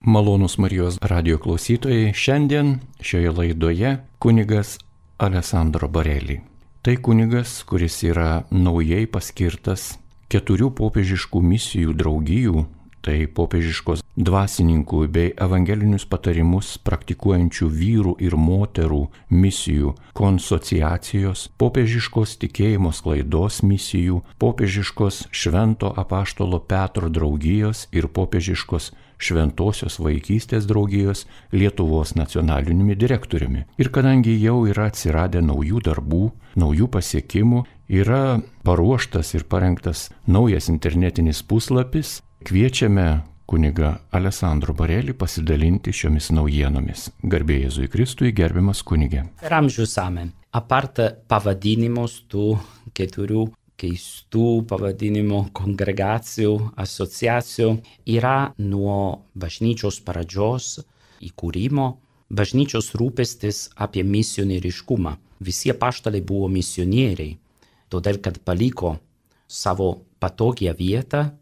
Malonūs Marijos radijo klausytojai, šiandien šioje laidoje kunigas Alessandro Bareli. Tai kunigas, kuris yra naujai paskirtas 4 popiežiškų misijų draugijų, tai popiežiškos dvasininkų bei evangelinius patarimus praktikuojančių vyrų ir moterų misijų konsociacijos, popiežiškos tikėjimo sklaidos misijų, popiežiškos Švento apaštalo Petro draugijos ir popiežiškos Šventosios vaikystės draugijos Lietuvos nacionaliniumi direktoriumi. Ir kadangi jau yra atsiradę naujų darbų, naujų pasiekimų, yra paruoštas ir parengtas naujas internetinis puslapis, kviečiame kunigą Alessandro Bareli pasidalinti šiomis naujienomis. Garbė Jėzui Kristui, gerbiamas kunige. Per amžius amen. Apart pavadinimus tų 4 keistų pavadinimų kongregacijų, asociacijų, yra nuo bažnyčios pradžios įkūrimo bažnyčios rūpestis apie misionieriškumą. Visi apaštalai buvo misionieriai, todėl kad paliko savo patogią vietą,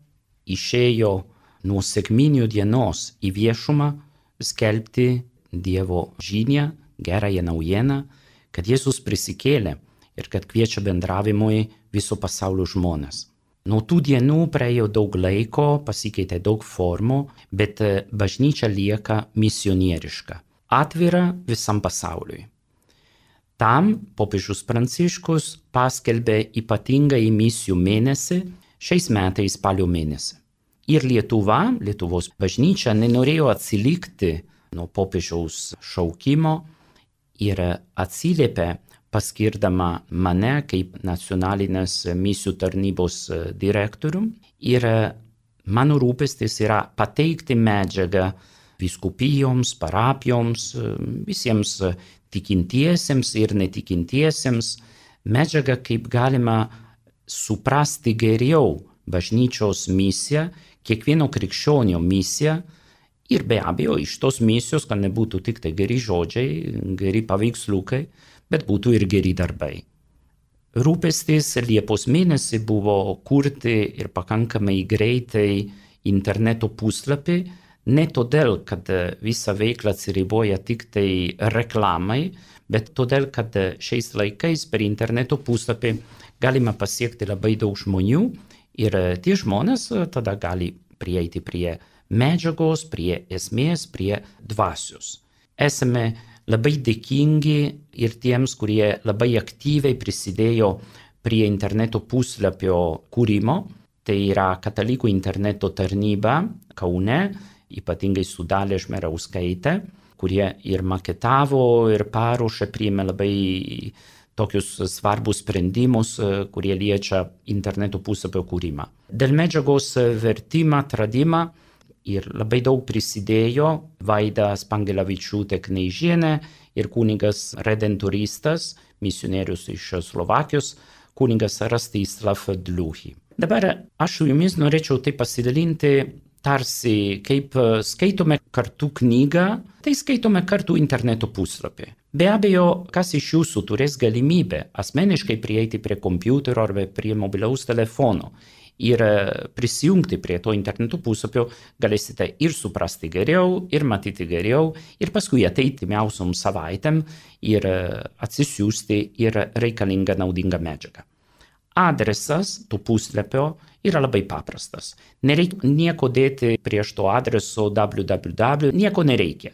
išėjo nuo sekminių dienos į viešumą skelbti Dievo žinią, gerąją naujieną, kad Jėzus prisikėlė ir kad kviečia bendravimui viso pasaulio žmonės. Nuo tų dienų praėjo daug laiko, pasikeitė daug formų, bet bažnyčia lieka misionieriška, atvira visam pasauliui. Tam popiežius Pranciškus paskelbė ypatingąjį misijų mėnesį šiais metais spalio mėnesį. Ir Lietuvos bažnyčia nenorėjo atsilikti nuo popiežiaus šaukimo ir atsiliepė paskirdama mane kaip nacionalinės misijų tarnybos direktorium. Ir mano rūpestis yra pateikti medžiagą vyskupijoms, parapijoms, visiems tikintiesiems ir netikintiesiems, medžiagą kaip galima suprasti geriau bažnyčios misiją, kiekvieno krikščionio misiją ir be abejo iš tos misijos, kad nebūtų tik tai geri žodžiai, geri paveiksliukai, bet būtų ir geri darbai. Rūpestis Liepos mėnesį buvo kurti ir pakankamai greitai interneto puslapį, ne todėl, kad visa veikla atsiriboja tik tai reklamai, bet todėl, kad šiais laikais per interneto puslapį galima pasiekti labai daug žmonių ir tie žmonės tada gali prieiti prie medžiagos, prie esmės, prie dvasios. Esame labai dėkingi ir tiems, kurie labai aktyviai prisidėjo prie interneto puslapio kūrimo. Tai yra Katalikų interneto tarnyba Kaune, ypatingai su Dalia Žmerauskaite, kurie ir maketavo, ir paruošė, priėmė labai tokius svarbus sprendimus, kurie liečia interneto puslapio kūrimą. Dėl medžiagos vertimą, atradimą ir labai daug prisidėjo Vaida Spangelavičiūtė Kneižienė ir kunigas redentoristas, misionierius iš Slovakijos, kunigas Rastislav Dliuhy. Dabar aš su jumis norėčiau tai pasidalinti tarsi kaip skaitome kartu knygą, tai skaitome kartu interneto puslapį. Be abejo, kas iš jūsų turės galimybę asmeniškai prieiti prie kompiuterio arba prie mobiliaus telefono ir prisijungti prie to interneto puslapio, galėsite ir suprasti geriau, ir matyti geriau, ir paskui ateiti miausiom savaitėm ir atsisiųsti ir reikalingą naudingą medžiagą. Adresas to puslapio yra labai paprastas. Nereikia nieko dėti prieš to adreso www, nieko nereikia.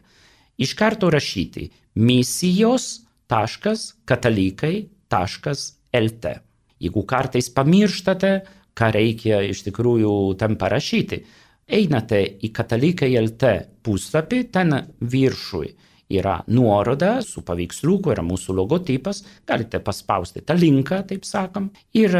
Iš karto rašyti misijos.katalikai.lt. Jeigu kartais pamirštate, ką reikia iš tikrųjų ten parašyti, einate į katalikai.lt puslapį, ten viršui yra nuoroda su paveiksliuku, yra mūsų logotipas, galite paspausti tą linką, taip sakam, ir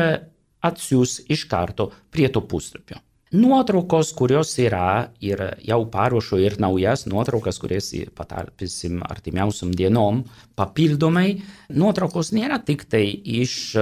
atsiųs iš karto prie to puslapio. Nuotraukos, kurios yra, ir jau paruošiu ir naujas nuotraukas, kurias patalpinsim artimiausiom dienom, papildomai. Nuotraukos nėra tik tai iš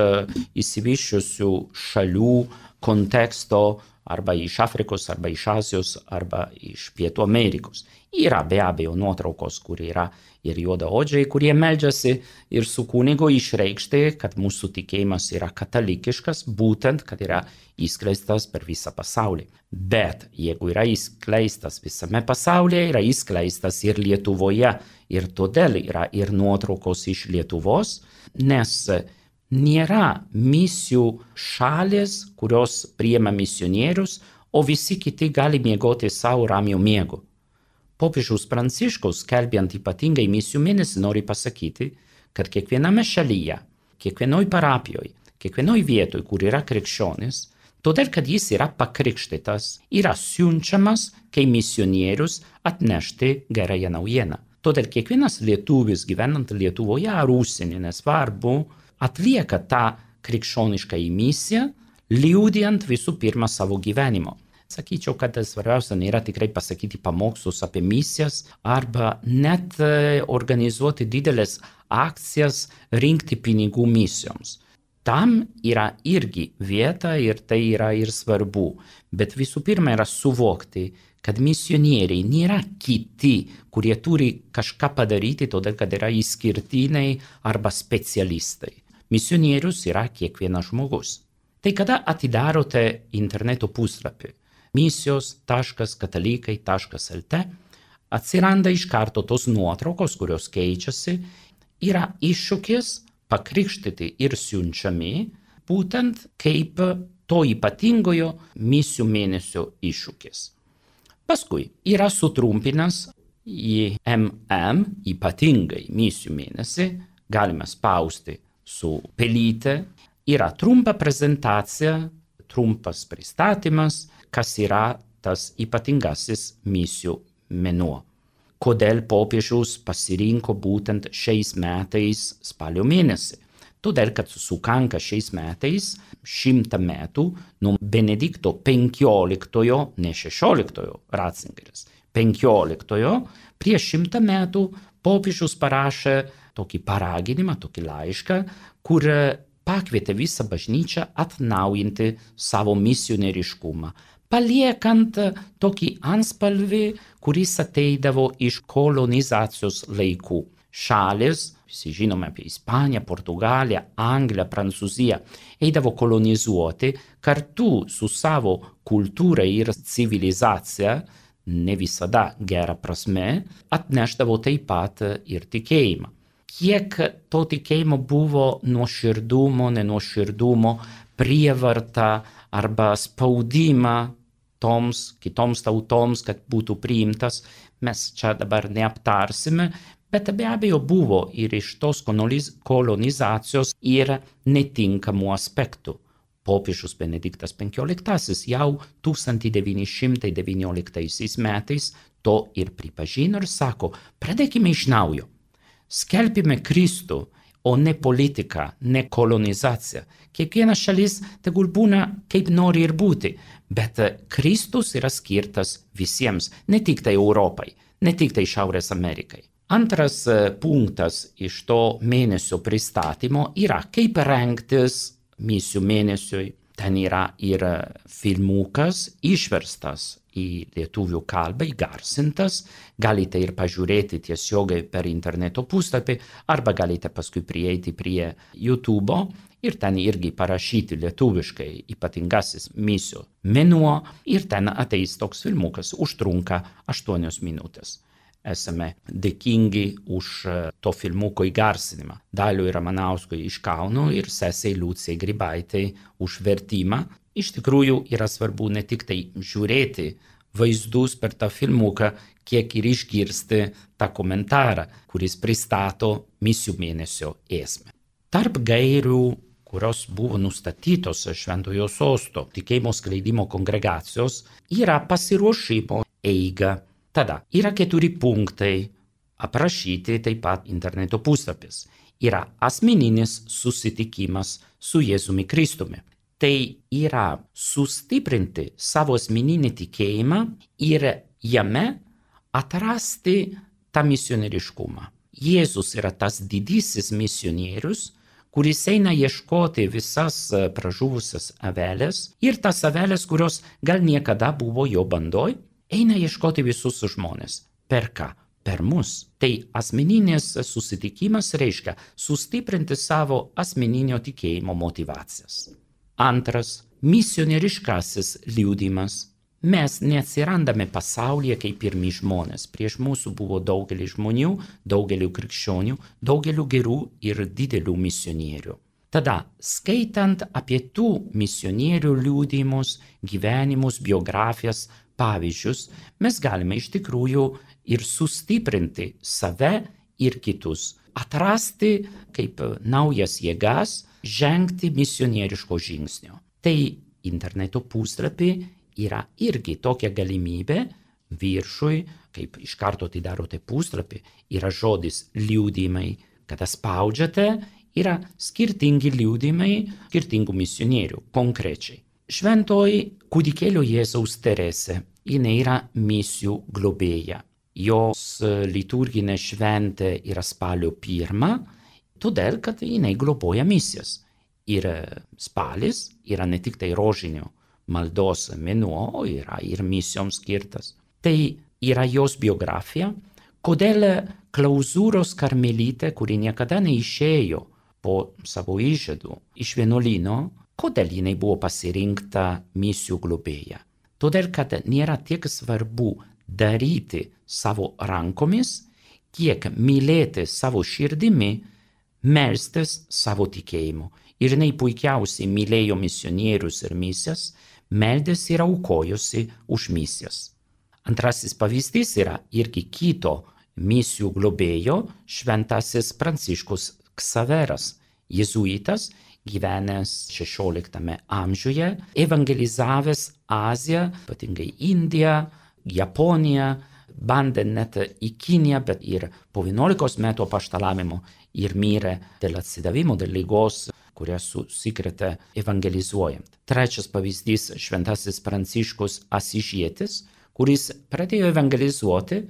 išsivysčiusių šalių konteksto arba iš Afrikos, arba iš Azijos, arba iš Pietų Amerikos. Yra be abejo nuotraukos, kur yra ir juodaodžiai, kurie meldžiasi ir su kunigu išreikšti, kad mūsų tikėjimas yra katalikiškas, būtent, kad yra įskleistas per visą pasaulį. Bet jeigu yra įskleistas visame pasaulyje, yra įskleistas ir Lietuvoje, ir todėl yra ir nuotraukos iš Lietuvos, nes nėra misijų šalės, kurios priima misionierius, o visi kiti gali miegoti savo ramiu miegu. Popiežius Pranciškus, skelbiant ypatingai misijų mėnesį, nori pasakyti, kad kiekviename šalyje, kiekvienoj parapijoje, kiekvienoj vietoj, kur yra krikščionis, todėl kad jis yra pakrikštytas, yra siunčiamas kaip misionierius atnešti gerąją naujieną. Todėl kiekvienas lietuvis gyvenant Lietuvoje ar užsienį, nesvarbu, atlieka tą krikščionišką misiją, liudijant visų pirma savo gyvenimo. Sakyčiau, kad svarbiausia nėra tikrai pasakyti pamokslus apie misijas arba net organizuoti didelės akcijas, rinkti pinigų misijoms. Tam yra irgi vieta ir tai yra ir svarbu, bet visų pirma yra suvokti, kad misionieriai nėra kiti, kurie turi kažką padaryti, todėl kad yra išskirtiniai arba specialistai. Misionierius yra kiekvienas žmogus. Tai kada atidarote interneto puslapį misijos.katalikai.lt, atsiranda iš karto tos nuotraukos, kurios keičiasi, yra iššūkis pakrikštyti ir siunčiami, būtent kaip to ypatingojo misijų mėnesio iššūkis. Paskui yra sutrumpinęs į ypatingai misijų mėnesį, galime spausti su pelyte, yra trumpa prezentacija, trumpas pristatymas, kas yra tas ypatingasis misijų mėnuo. Kodėl popiežius pasirinko būtent šiais metais spalio mėnesį? Todėl, kad sukanka šiais metais 100 metų nuo Benedikto XV, ne 16 Ratzingeris, 15 prieš 100 metų popiežius parašė tokį paraginimą, tokį laišką, kur pakvietė visą bažnyčią atnaujinti savo misionieriškumą, paliekant tokį antspalvį, kuris ateidavo iš kolonizacijos laikų. Šalis, visi žinome apie Ispaniją, Portugaliją, Angliją, Prancūziją, eidavo kolonizuoti kartu su savo kultūra ir civilizacija, ne visada gera prasme, atnešdavo taip pat ir tikėjimą. Kiek to tikėjimo buvo nuoširdumo, nenuoširdumo, prievarta arba spaudimą kitoms tautoms, kad būtų priimtas, mes čia dabar neaptarsime, bet be abejo buvo ir iš tos kolonizacijos ir netinkamų aspektų. Popiežius Benediktas XV jau 1919 metais to ir pripažino ir sako, pradėkime iš naujo, skelbime Kristų, o ne politiką, ne kolonizaciją. Kiekviena šalis tegul būna kaip nori ir būti, bet Kristus yra skirtas visiems, ne tik tai Europai, ne tik tai Šiaurės Amerikai. Antras punktas iš to mėnesio pristatymo yra, kaip rengtis misijų mėnesiui. Ten yra ir filmukas išverstas į lietuvių kalbą, įgarsintas, galite ir pažiūrėti tiesiogiai per interneto puslapį, arba galite paskui prieiti prie YouTube ir ten irgi parašyti lietuviškai ypatingasis misijų mėnuo ir ten ateis toks filmukas, užtrunka 8 minutės. Esame dėkingi už to filmuko įgarsinimą. Daliui Ramanauskui iš Kauno ir sesei Liucijai Grybaitai už vertimą. Iš tikrųjų yra svarbu ne tik tai žiūrėti vaizdus per tą filmuką, kiek ir išgirsti tą komentarą, kuris pristato misijų mėnesio esmę. Tarp gairių, kurios buvo nustatytos Šventojo Sosto tikėjimo skleidimo kongregacijos, yra pasiruošimo eiga. Tada yra 4 punktai, aprašyti taip pat interneto puslapis. Yra asmeninis susitikimas su Jėzumi Kristumi. Tai yra sustiprinti savo asmeninį tikėjimą ir jame atrasti tą misionieriškumą. Jėzus yra tas didysis misionierius, kuris eina ieškoti visas pražuvusias avelės ir tas avelės, kurios gal niekada buvo jo bandoj, eina ieškoti visus žmonės. Per ką? Per mus. Tai asmeninis susitikimas reiškia sustiprinti savo asmeninio tikėjimo motivacijas. Antras, misionieriškasis liudijimas. Mes neatsirandame pasaulyje kaip pirmi žmonės. Prieš mūsų buvo daugelis žmonių, daugelių krikščionių, daugelių gerų ir didelių misionierių. Tada, skaitant apie tų misionierių liudijimus, gyvenimus, biografijas, pavyzdžius, mes galime iš tikrųjų ir sustiprinti save ir kitus, atrasti kaip naujas jėgas, žengti misionieriško žingsnio. Tai interneto puslapį yra irgi tokia galimybė viršui, kaip iš karto atidarote puslapį, yra žodis liudijimai, kada spaudžiate, yra skirtingi liudijimai skirtingų misionierių konkrečiai. Šventoji kūdikėlio Jėzaus Teresė, jinai yra misijų globėja. Jos liturginė šventė yra spalio 1, todėl kad jinai globoja misijas. Ir spalis yra ne tik tai rožinio maldos mėnuo, yra ir misijoms skirtas. Tai yra jos biografija, kodėl klauzūros karmelitė, kuri niekada neišėjo po savo įžadų iš vienuolyno, kodėl jinai buvo pasirinkta misijų globėja. Todėl, kad nėra tiek svarbu daryti savo rankomis, kiek mylėti savo širdimi, melstis savo tikėjimu. Ir jinai puikiausiai mylėjo misionierius ir misijas, meldėsi ir aukojosi už misijas. Antrasis pavyzdys yra irgi kito misijų globėjo, šventasis Pranciškus Ksaveras, jėzuitas, gyvenęs 16 amžiuje, evangelizavęs Aziją, ypatingai Indiją, Japoniją, bandė net į Kiniją, bet ir po 11 metų apaštalavimo ir mirė dėl atsidavimo, dėl ligos, kurią susikrėtė evangelizuojant. Trečias pavyzdys - šventasis Pranciškus Asižietis, kuris pradėjo evangelizuoti,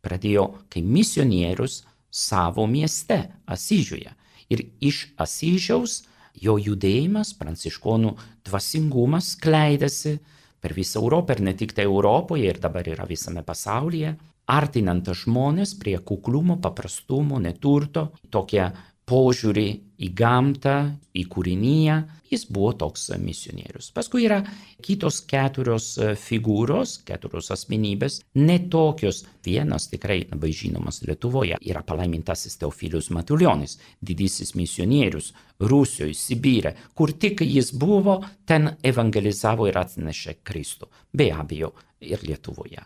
pradėjo kaip misionierius savo mieste, Asyžiuje. Ir iš Asyžiaus jo judėjimas, pranciškonų dvasingumas skleidėsi per visą Europą ir ne tik tai Europoje, ir dabar yra visame pasaulyje, artinant žmonės prie kuklumo, paprastumo, neturto, tokie požiūrį į gamtą, į kūriniją, jis buvo toks misionierius. Paskui yra kitos 4 figūros, 4 asmenybės, netokios. Vienas tikrai labai žinomas Lietuvoje yra palaimintasis Teofilius Matuljonis, didysis misionierius Rusijoje, Sibire, kur tik jis buvo, ten evangelizavo ir atnešė Kristų. Be abejo, ir Lietuvoje.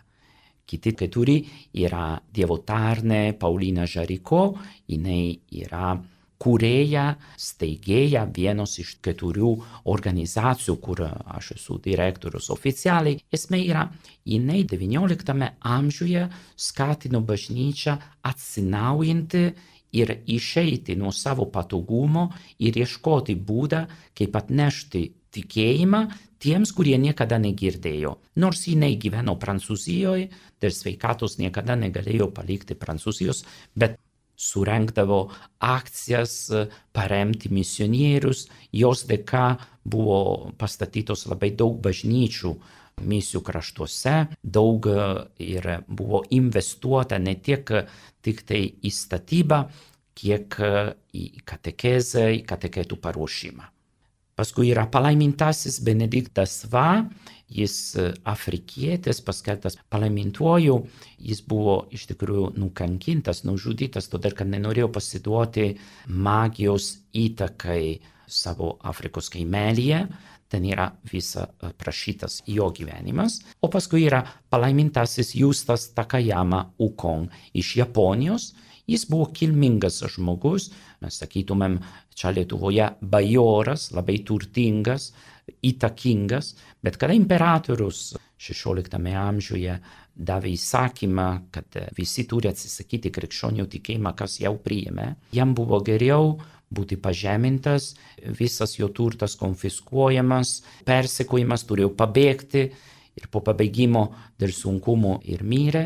Kiti 4 yra Dievo tarnė Paulina Žariko, jinai yra kūrėja, steigėja vienos iš 4 organizacijų, kur aš esu direktorius oficialiai. Esmė yra, jinai 19 amžiuje skatino bažnyčią atsinaujinti ir išeiti nuo savo patogumo ir ieškoti būdą, kaip atnešti tikėjimą tiems, kurie niekada negirdėjo. Nors jinai gyveno Prancūzijoje, dėl sveikatos niekada negalėjo palikti Prancūzijos, bet surengdavo akcijas, paremti misionierius, jos dėka buvo pastatytos labai daug bažnyčių misijų kraštuose, daug ir buvo investuota ne tik tai į statybą, kiek į katekezę, į kateketų paruošimą. Paskui yra palaimintasis Benediktas Va, jis afrikietis, paskelbtas palaimintuoju, jis buvo iš tikrųjų nukankintas, nužudytas, todėl kad nenorėjo pasiduoti magijos įtakai savo Afrikos kaimelyje. Ten yra visa prašytas jo gyvenimas. O paskui yra palaimintasis Justas Takayama Ukon iš Japonijos. Jis buvo kilmingas žmogus, mes sakytumėm, čia Lietuvoje bajoras, labai turtingas, įtakingas, bet kada imperatorius 16 amžiuje davė įsakymą, kad visi turi atsisakyti krikščionių tikėjimą, kas jau priėmė, jam buvo geriau būti pažemintas, visas jo turtas konfiskuojamas, persekiojimas, turėjo pabėgti ir po pabaigimo dėl sunkumų ir mirė.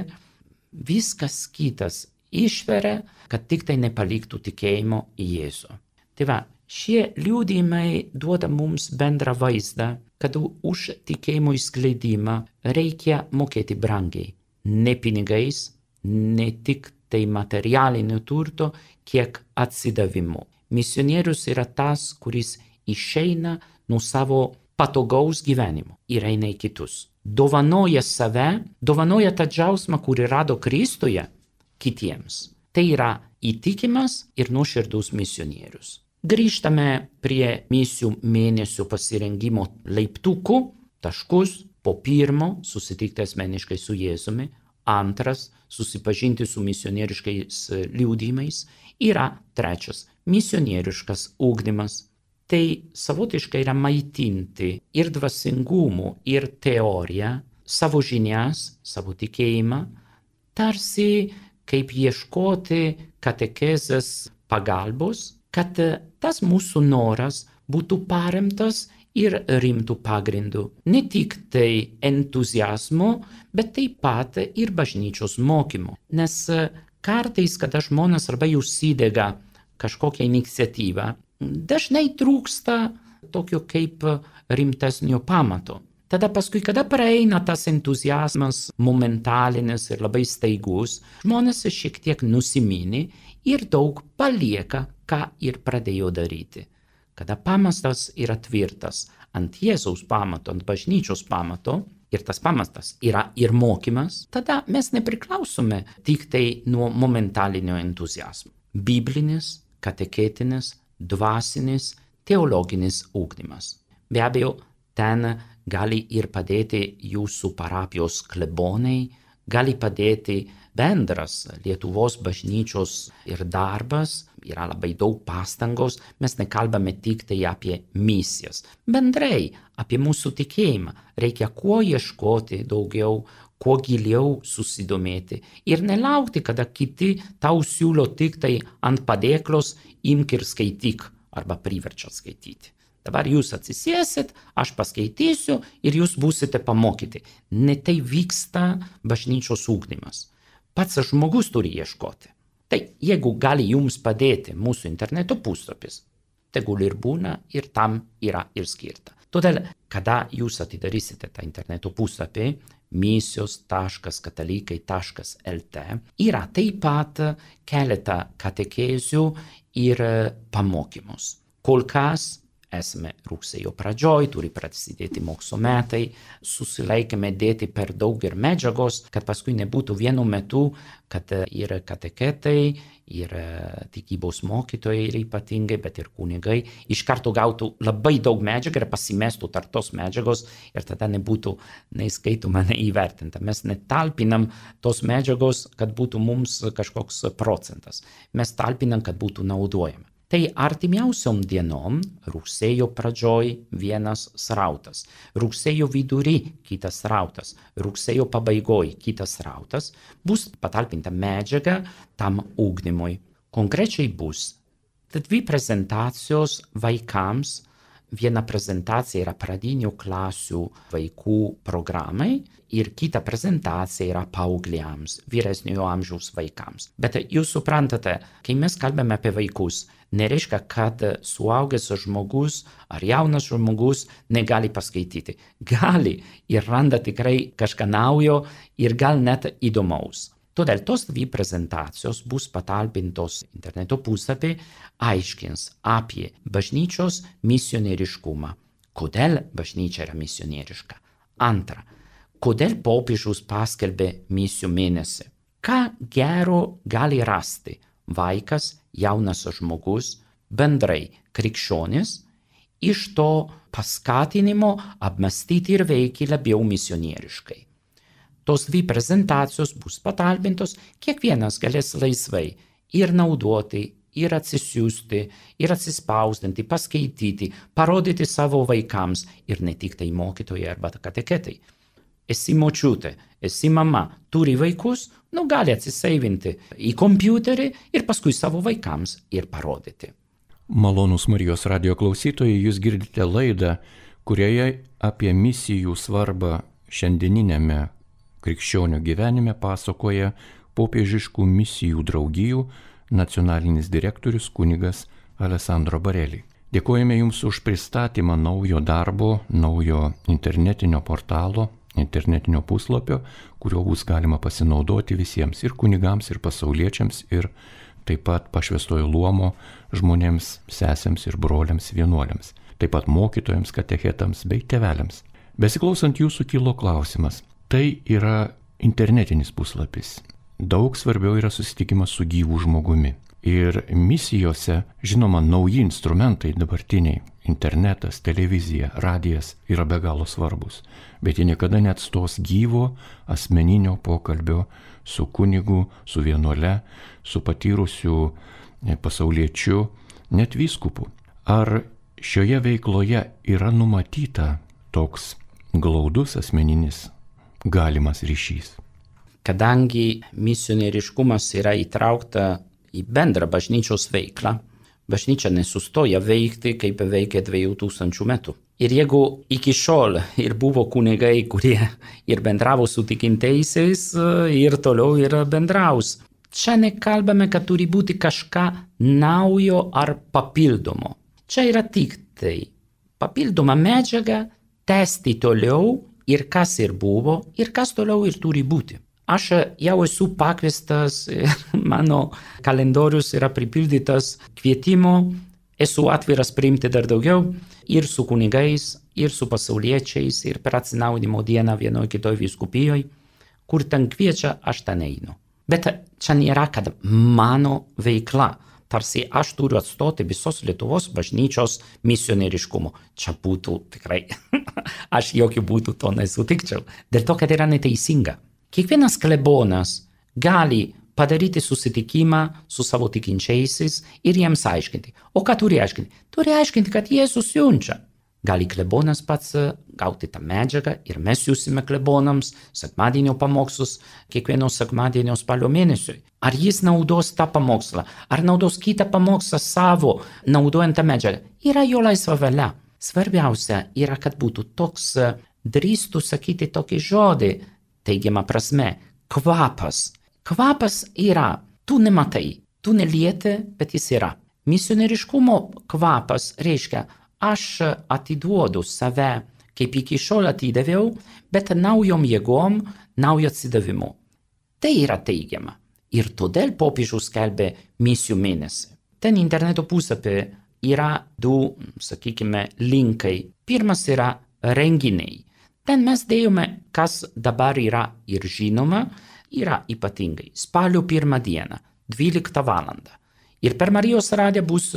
Viskas kitas išveria, kad tik tai nepaliktų tikėjimo į Jėzų. Tai va, Šie liudijimai duoda mums bendrą vaizdą, kad už tikėjimo išskleidimą reikia mokėti brangiai. Ne pinigais, ne tik tai materialinio turto, kiek atsidavimu. Misionierius yra tas, kuris išeina nuo savo patogaus gyvenimo ir eina į kitus. Dovanoja save, dovanoja tą džiaugsmą, kurį rado Kristuje kitiems. Tai yra įtikimas ir nuoširdus misionierius. Grįžtame prie misijų mėnesio pasirengimo laiptukų, taškus. Po pirmo susitikti asmeniškai su Jėzumi, antras susipažinti su misionieriškais liudijimais, yra trečias misionieriškas ugdymas. Tai savotiškai yra maitinti ir dvasingumu, ir teoriją, savo žinias, savo tikėjimą, tarsi kaip ieškoti katekezės pagalbos, kad tas mūsų noras būtų paremtas ir rimtų pagrindų. Ne tik tai entuziazmo, bet taip pat ir bažnyčios mokymo. Nes kartais, kada žmonės arba užsidega kažkokią iniciatyvą, dažnai trūksta tokio kaip rimtesnio pamato. Tada paskui, kada praeina tas entuziazmas momentalinis ir labai staigus, žmonės šiek tiek nusimini ir daug palieka, ką ir pradėjo daryti. Kada pamatas yra tvirtas ant Jėzaus pamato, ant bažnyčios pamato, ir tas pamatas yra ir mokymas, tada mes nepriklausome tik tai nuo momentalinio entuziazmo. Biblinis, katechetinis, dvasinis, teologinis ugdymas. Be abejo, ten gali ir padėti jūsų parapijos klebonai, gali padėti bendras Lietuvos bažnyčios ir darbas, yra labai daug pastangos, mes nekalbame tik tai apie misijas. Bendrai apie mūsų tikėjimą reikia kuo ieškoti daugiau, kuo giliau susidomėti ir nelaukti, kada kiti tau siūlo tik tai ant padėklos imk ir skaityk arba priverčia skaityti. Dabar jūs atsisėsit, aš paskaitysiu ir jūs būsite pamokyti. Ne tai vyksta bažnyčios ugdymas. Pats žmogus turi ieškoti. Tai jeigu gali jums padėti mūsų interneto puslapis, tegul ir būna ir tam yra ir skirta. Todėl, kada jūs atidarysite tą interneto puslapį, misijos.katalikai.lt, yra taip pat keletą katekezių ir pamokymus. Kol kas esame rugsėjo pradžioj, turi prasidėti mokslo metai, susilaikėme dėti per daug ir medžiagos, kad paskui nebūtų vienu metu, kad ir kateketai, ir tikybos mokytojai ir ypatingai, bet ir kunigai iš karto gautų labai daug medžiagą ir pasimestų tarp tos medžiagos ir tada nebūtų neįskaitoma, neįvertinta. Mes netalpinam tos medžiagos, kad būtų mums kažkoks procentas. Mes talpinam, kad būtų naudojama. Tai artimiausiom dienom, rugsėjo pradžioj vienas srautas, rugsėjo vidury kitas srautas, rugsėjo pabaigoj kitas srautas, bus patalpinta medžiaga tam ugdymui. Konkrečiai bus 2 prezentacijos vaikams, viena prezentacija yra pradinių klasių vaikų programai ir kita prezentacija yra paaugliams, vyresniojo amžiaus vaikams. Bet jūs suprantate, kai mes kalbame apie vaikus, nereiškia, kad suaugęs žmogus ar jaunas žmogus negali paskaityti. Gali ir randa tikrai kažką naujo ir gal net įdomaus. Todėl tos 2 prezentacijos bus patalpintos interneto puslapį, aiškins apie bažnyčios misionieriškumą. Kodėl bažnyčia yra misionieriška? Antra, kodėl popiežius paskelbė misijų mėnesį? Ką gero gali rasti vaikas, jaunas žmogus, bendrai krikščionis, iš to paskatinimo apmąstyti ir veikti labiau misionieriškai. Tos 2 prezentacijos bus patalpintos, kiekvienas galės laisvai ir naudoti, ir atsisiųsti, ir atsispausdinti, paskaityti, parodyti savo vaikams ir ne tik tai mokytojai arba kateketai. Esi močiutė, esi mama, turi vaikus, gali atsiseivinti į kompiuterį ir paskui savo vaikams ir parodyti. Malonūs Marijos radijo klausytojai, jūs girdite laidą, kurioje apie misijų svarbą šiandieninėme krikščionių gyvenime pasakoja popiežiškų misijų draugijų nacionalinis direktorius kunigas Alessandro Barelli. Dėkojame Jums už pristatymą naujo darbo, naujo internetinio portalo, internetinio puslapio, kuriuo bus galima pasinaudoti visiems ir kunigams, ir pasauliečiams, ir taip pat pašvęstojo luomo žmonėms, sesėms ir broliams vienuoliams, taip pat mokytojams, katechetams bei tėveliams. Besiklausant Jūsų kilo klausimas. Tai yra internetinis puslapis. Daug svarbiau yra susitikimas su gyvu žmogumi. Ir misijose, žinoma, nauji instrumentai dabartiniai, internetas, televizija, radijas yra be galo svarbus, bet jie niekada neatstos gyvo asmeninio pokalbio su kunigu, su vienuole, su patyrusiu pasauliečiu, net vyskupu. Ar šioje veikloje yra numatyta toks glaudus asmeninis galimas ryšys? Kadangi misionieriškumas yra įtraukta į bendrą bažnyčios veiklą, bažnyčia nesustoja veikti, kaip veikė 2000 metų. Ir jeigu iki šiol ir buvo kunigai, kurie ir bendravo su tikintaisiais, ir toliau ir bendraus. Čia nekalbame, kad turi būti kažką naujo ar papildomo. Čia yra tik tai papildoma medžiaga tęsti toliau ir kas ir buvo, ir kas toliau ir turi būti. Aš jau esu pakviestas, mano kalendorius yra pripildytas kvietimo, esu atviras priimti dar daugiau ir su kunigais, ir su pasauliečiais, ir per atsinaujinimo dieną vienoje kitoje vyskupijoje, kur ten kviečia, aš ten einu. Bet čia nėra, kad mano veikla, tarsi aš turiu atstoti visos Lietuvos bažnyčios misionieriškumo. Čia būtų tikrai, aš jokių būdų to nesutikčiau, dėl to, kad yra neteisinga. Kiekvienas klebonas gali padaryti susitikimą su savo tikinčiaisiais ir jiems aiškinti. O ką turi aiškinti? Turi aiškinti, kad Jėzus siunčia. Gali klebonas pats gauti tą medžiagą ir mes siūsime klebonams sekmadienio pamokslus kiekvieno sekmadienio spalio mėnesiui. Ar jis naudos tą pamokslą, ar naudos kitą pamokslą savo, naudojant tą medžiagą, yra jo laisva valia. Svarbiausia yra, kad būtų toks, drįstų sakyti tokį žodį, teigiama prasme, kvapas. Kvapas yra, tu nematai, tu nelieti, bet jis yra. Misionieriškumo kvapas reiškia, aš atiduodu save, kaip iki šiol atidaviau, bet naujom jėgom, naujo atsidavimu. Tai yra teigiama. Ir todėl popiežius skelbė misijų mėnesį. Ten interneto puslapyje yra du, sakykime, linkai. Pirmas yra renginiai. Ten mes dėjome, kas dabar yra ir žinoma, yra ypatingai. Spalio 1 dieną, 12 valandą. Ir per Marijos radiją bus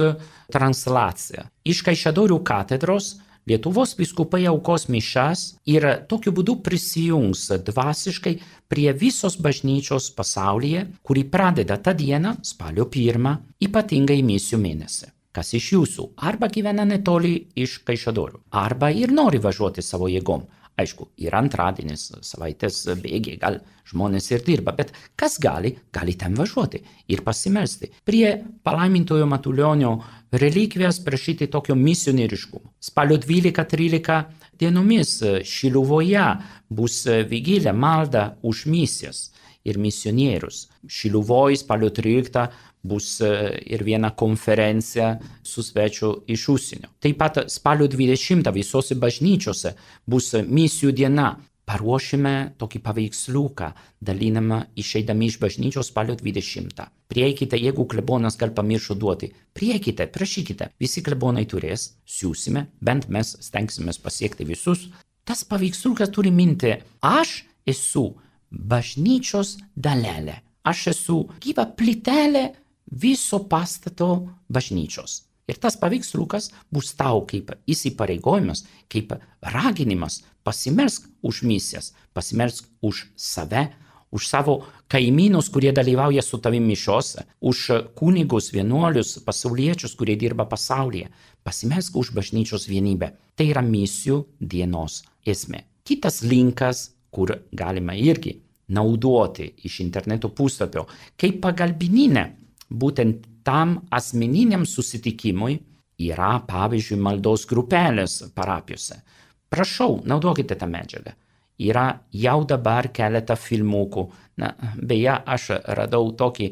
translacija. Iš Kaišiadorių katedros Lietuvos vyskupai aukos mišias ir tokiu būdu prisijungs dvasiškai prie visos bažnyčios pasaulyje, kuri pradeda tą dieną, spalio 1, ypatingai misijų mėnesį. Kas iš jūsų arba gyvena netoli iš Kaišiadorių, arba ir nori važiuoti savo jėgom. Aišku, ir antradienis, savaitės bėgiai, gal žmonės ir dirba, bet kas gali ten važiuoti ir pasimelsti. Prie palaimintojo Matulionio relikvijas prašyti tokio misionieriškumo. Spalio 12-13 dienomis Šiluvoje bus vigilė malda už misijas ir misionierius. Šiluvoj spalio 13 bus ir viena konferencija su svečiu iš užsienio. Taip pat spalio 20 visose bažnyčiose bus misijų diena. Paruošime tokį paveiksliuką, dalinamą išeidami iš bažnyčios spalio 20. Prieikite, jeigu klebonas gal pamiršo duoti. Prieikite, prašykite. Visi klebonai turės, siūsime, bent mes stengsimės pasiekti visus. Tas paveiksliukas turi minti, aš esu bažnyčios dalelė. Aš esu gyva plytelė viso pastato bažnyčios. Ir tas paveiksliukas bus tau kaip įsipareigojimas, kaip raginimas pasimelsk už misijas, pasimelsk už save, už savo kaimynus, kurie dalyvauja su tavimi mišiose, už kunigus, vienuolius, pasauliečius, kurie dirba pasaulyje. Pasimelsk už bažnyčios vienybę. Tai yra misijų dienos esmė. Kitas linkas, kur galima irgi naudoti iš interneto puslapio, kaip pagalbininė, būtent tam asmeniniam susitikimui yra, pavyzdžiui, maldos grupelės parapijose. Prašau, naudokite tą medžiagą. yra jau dabar keletą filmukų. Na, beje, aš radau tokį,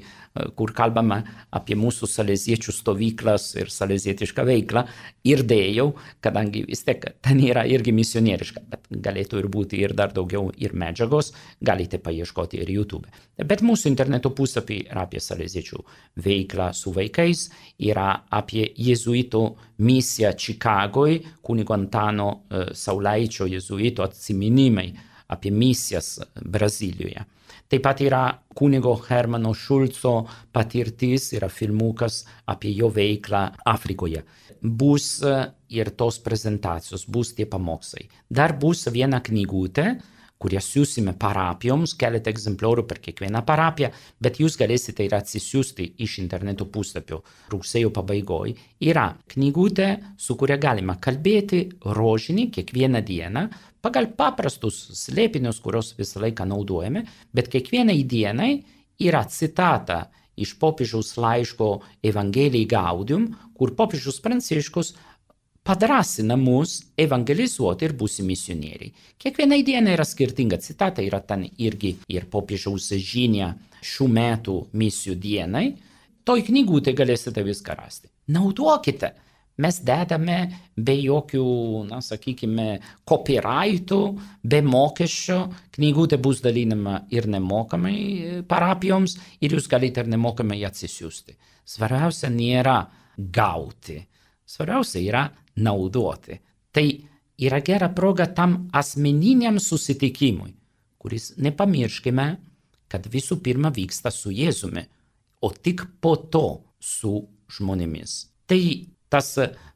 kur kalbama apie mūsų saleziečių stovyklas ir salezietišką veiklą ir dėjau, kadangi vis tiek ten yra irgi misionieriška, bet galėtų ir būti ir dar daugiau ir medžiagos, galite paieškoti ir YouTube. Bet mūsų interneto puslapį yra apie saleziečių veiklą su vaikais, yra apie jėzuitų misiją Čikagoj, kunigo Antano Saulaičio jėzuito atsiminimai apie misijas Brazilijoje. Taip pat yra kunigo Hermano Šulco patirtis, yra filmukas apie jo veiklą Afrikoje. Bus ir tos prezentacijos, bus tie pamokslai. Dar bus viena knygutė, kurią siūsime parapijoms, keletą egzempliorių per kiekvieną parapiją, bet jūs galėsite ir atsisiųsti iš interneto puslapio rugsėjo pabaigoj. Yra knygutė, su kuria galima kalbėti rožinį kiekvieną dieną, pagal paprastus slėpinius, kurios visą laiką naudojame, bet kiekvienai dienai yra citata iš popiežiaus laiško Evangelijai Gaudium, kur popiežius Pranciškus padrasina mus evangelizuoti ir būsi misionieriai. Kiekvienai dienai yra skirtinga citata, yra ten irgi ir popiežiaus žinia šių metų misijų dienai. Toj knygutė galėsite viską rasti. Naudokite. Mes dedame be jokių, na, sakykime, copyrightų, be mokesčio. Knygutė bus dalinama ir nemokamai parapijoms ir jūs galite ir nemokamai atsisiųsti. Svarbiausia nėra gauti. Svarbiausia yra naudoti. Tai yra gera proga tam asmeniniam susitikimui, kuris, nepamirškime, kad visų pirma vyksta su Jėzumi, o tik po to su žmonėmis. Tai tas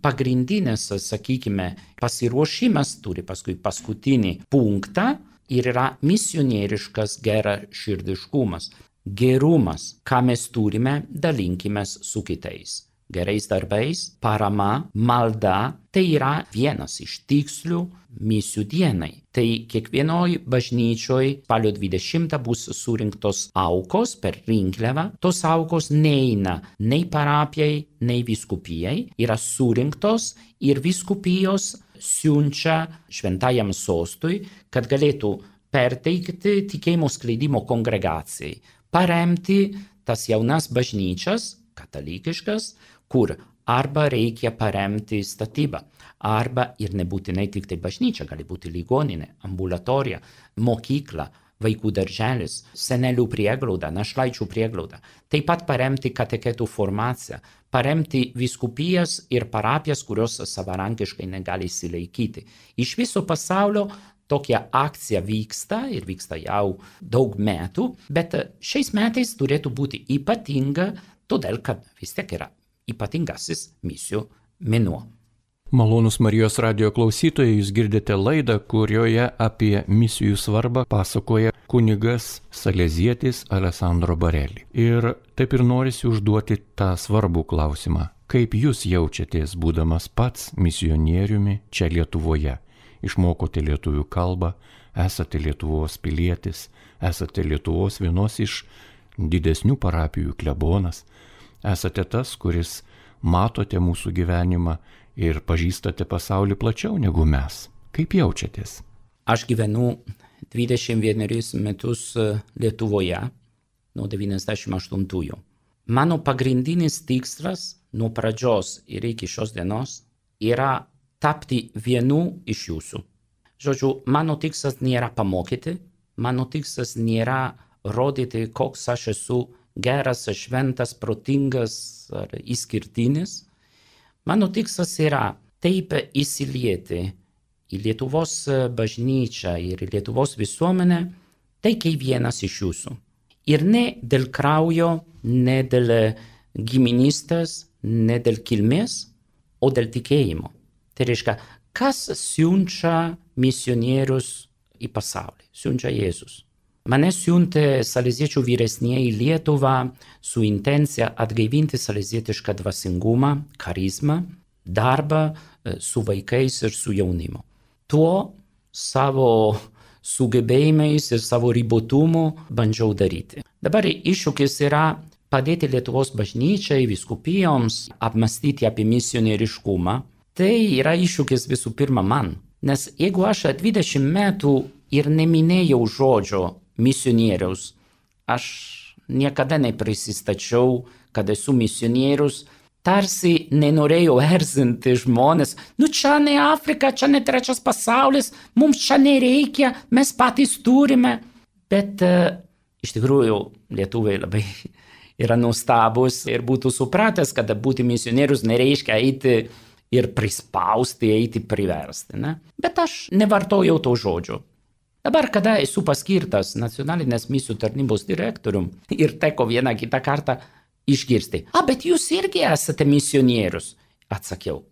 pagrindinis, sakykime, pasiruošimas turi paskui paskutinį punktą ir yra misionieriškas geraširdiškumas, gerumas, ką mes turime, dalinkimės su kitais. Gerais darbais, parama, malda, tai yra vienas iš tikslių misijų dienai. Tai kiekvienoj bažnyčioj spalio 20 bus surinktos aukos per rinkliavą. Tos aukos neina nei parapijai, nei vyskupijai, yra surinktos ir vyskupijos siunčia šventajam sostui, kad galėtų perteikti tikėjimo skleidimo kongregacijai, paremti tas jaunas bažnyčias, katalikiškas, kur arba reikia paremti statybą, arba ir nebūtinai tik tai bažnyčia, gali būti ligoninė, ambulatorija, mokykla, vaikų darželis, senelių prieglauda, našlaičių prieglauda. Taip pat paremti kateketų formaciją, paremti vyskupijas ir parapijas, kurios savarankiškai negali įsilaikyti. Iš viso pasaulio tokia akcija vyksta ir vyksta jau daug metų, bet šiais metais turėtų būti ypatinga, todėl kad vis tiek yra ypatingasis misijų mėnuo. Malonūs Marijos radijo klausytojai, jūs girdite laidą, kurioje apie misijų svarbą pasakoja kunigas salezietis Alessandro Bareli. Ir taip ir norisi užduoti tą svarbų klausimą. Kaip jūs jaučiatės, būdamas pats misionieriumi čia Lietuvoje? Išmokote lietuvių kalbą, esate Lietuvos pilietis, esate Lietuvos vienos iš didesnių parapijų klebonas, esate tas, kuris matote mūsų gyvenimą ir pažįstate pasaulį plačiau negu mes. Kaip jaučiatės? Aš gyvenu 21 metus Lietuvoje nuo 98-ųjų. Mano pagrindinis tikslas nuo pradžios ir iki šios dienos yra tapti vienu iš jūsų. Žodžiu, mano tikslas nėra pamokyti, mano tikslas nėra rodyti, koks aš esu geras, šventas, protingas ar išskirtinis. Mano tikslas yra taip įsilieti į Lietuvos bažnyčią ir į Lietuvos visuomenę, tai kaip vienas iš jūsų. Ir ne dėl kraujo, ne dėl giminystės, ne dėl kilmės, o dėl tikėjimo. Tai reiškia, kas siunčia misionierius į pasaulį? Siunčia Jėzus. Mane siuntė saleziečių vyresnieji Lietuvą su intencija atgaivinti salezietišką dvasingumą, charizmą, darbą su vaikais ir su jaunimu. Tuo savo sugebėjimais ir savo ribotumu bandžiau daryti. Dabar iššūkis yra padėti Lietuvos bažnyčiai, vyskupijoms apmastyti apie misionieriškumą. Tai yra iššūkis visų pirma man. Nes jeigu aš 20 metų ir neminėjau žodžio misionieriaus. Aš niekada neprisistačiau, kad esu misionierius, tarsi nenorėjau erzinti žmonės. Čia ne Afrika, čia ne trečias pasaulis, mums čia nereikia, mes patys turime. Bet iš tikrųjų lietuviai labai yra nuostabus ir būtų supratęs, kad būti misionierius nereiškia eiti ir prispausti, eiti priversti. Ne? Bet aš nevartojau to žodžio. Dabar, kada esu paskirtas nacionalinės misijų tarnybos direktorium ir teko vieną kitą kartą išgirsti, bet jūs irgi esate misionierius. Atsakiau,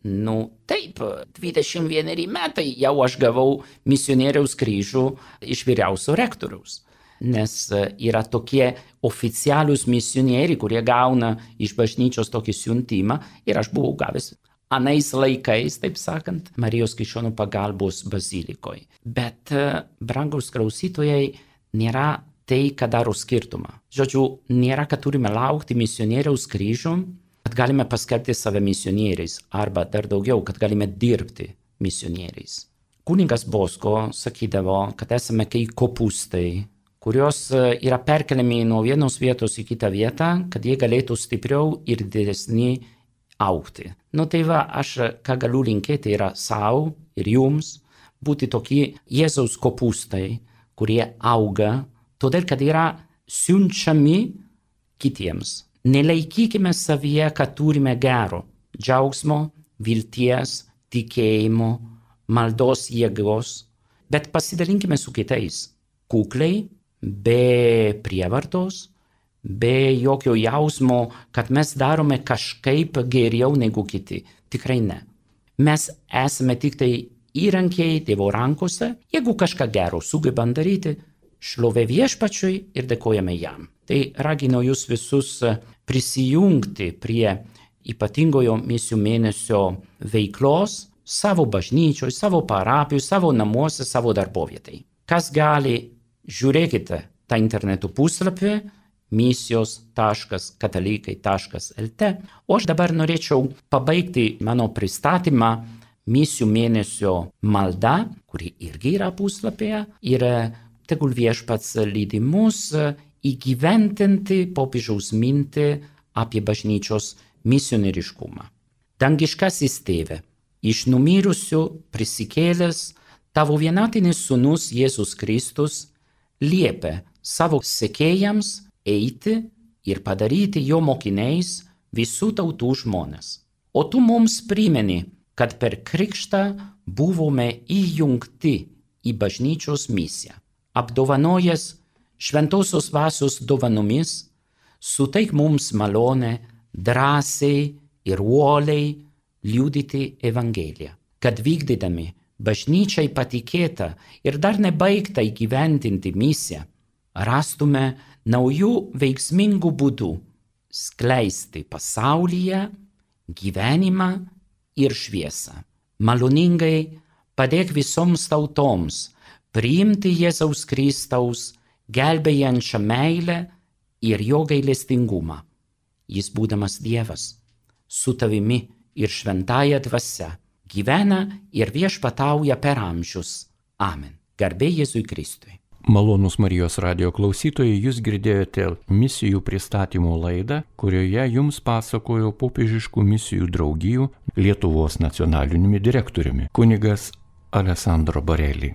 taip, 21 metai jau aš gavau misionieriaus kryžių iš vyriausio rektoriaus. Nes yra tokie oficialūs misionieriai, kurie gauna iš bažnyčios tokį siuntimą ir aš buvau gavęs anais laikais, taip sakant, Marijos Krikščionių pagalbos bazilikoje. Bet, brangaus klausytojai, nėra tai, ką daro skirtumą. Žodžiu, nėra, kad turime laukti misionieriaus kryžių, kad galime paskelbti save misionieriais, arba dar daugiau, kad galime dirbti misionieriais. Kunigas Bosko sakydavo, kad esame kaip kopūstai, kurios yra perkeliami nuo vienos vietos į kitą vietą, kad jie galėtų stipriau ir didesni augti. Tai va, aš ką galiu linkėti yra savo ir jums būti tokie Jėzaus kopūstai, kurie auga, todėl kad yra siunčiami kitiems. Nelaikykime savyje, kad turime gero, džiaugsmo, vilties, tikėjimo, maldos jėgos, bet pasidalinkime su kitais kukliai, be prievartos, be jokio jausmo, kad mes darome kažkaip geriau negu kiti. Tikrai ne. Mes esame tik tai įrankiai Dievo rankose. Jeigu kažką gero sugebam daryti, šlovė Viešpačiui ir dėkojame jam. Tai raginu jūs visus prisijungti prie ypatingojo misijų mėnesio veiklos savo bažnyčioje, savo parapijoje, savo namuose, savo darbovietai. Kas gali, žiūrėkite tą interneto puslapį misijos.katalikai.lt. O aš dabar norėčiau pabaigti mano pristatymą misijų mėnesio malda, kuri irgi yra puslapyje, ir tegul Viešpats lydi mus įgyvendinti popiežiaus mintį apie bažnyčios misionieriškumą. Dangiškasis Tėve, iš numirusių prisikėlęs tavo vienatinis sūnus Jėzus Kristus liepia savo sekėjams eiti ir padaryti jo mokiniais visų tautų žmones. O tu mums primeni, kad per krikštą buvome įjungti į bažnyčios misiją. Apdovanojęs šventosios dvasios dovanomis, suteik mums malonę drąsiai ir uoliai liudyti Evangeliją, kad vykdydami bažnyčiai patikėtą ir dar nebaigtą įgyvendinti misiją, rastume naujų veiksmingų būdų skleisti pasaulyje gyvenimą ir šviesą. Maloningai padėk visoms tautoms priimti Jėzaus Kristaus gelbėjančią meilę ir jo gailestingumą. Jis, būdamas Dievas, su tavimi ir šventąja dvasia, gyvena ir viešpatauja per amžius. Amen. Garbė Jėzui Kristui. Malonūs Marijos radijo klausytojai, jūs girdėjote misijų pristatymo laidą, kurioje jums pasakojo popiežiškų misijų draugijų Lietuvos nacionaliniumi direktoriumi kunigas Alessandro Barelli.